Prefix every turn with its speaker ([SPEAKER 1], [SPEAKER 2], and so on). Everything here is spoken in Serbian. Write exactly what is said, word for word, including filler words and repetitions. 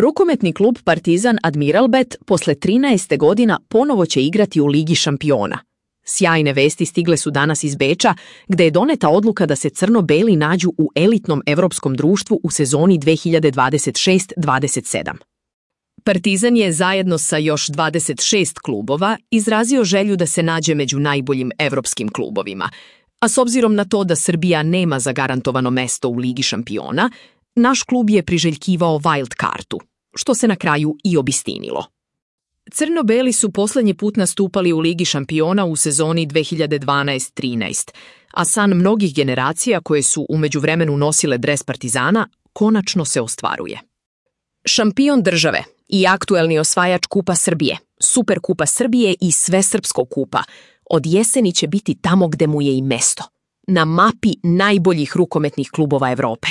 [SPEAKER 1] Rukometni klub Partizan Admiralbet posle trinaest godina ponovo će igrati u Ligi šampiona. Sjajne vesti stigle su danas iz Beča, gde je doneta odluka da se crno-beli nađu u elitnom evropskom društvu u sezoni dve hiljade dvadeset šest dvadeset sedam. Partizan je zajedno sa još dvadeset šest klubova izrazio želju da se nađe među najboljim evropskim klubovima, a s obzirom na to da Srbija nema zagarantovano mesto u Ligi šampiona, naš klub je priželjkivao wild kartu, što se na kraju i obistinilo. Crno-beli su poslednji put nastupali u Ligi šampiona u sezoni dve hiljade dvanaest trinaest, a san mnogih generacija koje su u međuvremenu nosile dres Partizana konačno se ostvaruje. Šampion države i aktuelni osvajač Kupa Srbije, Superkupa Srbije i Svesrpskog kupa od jeseni će biti tamo gde mu je i mesto, na mapi najboljih rukometnih klubova Evrope.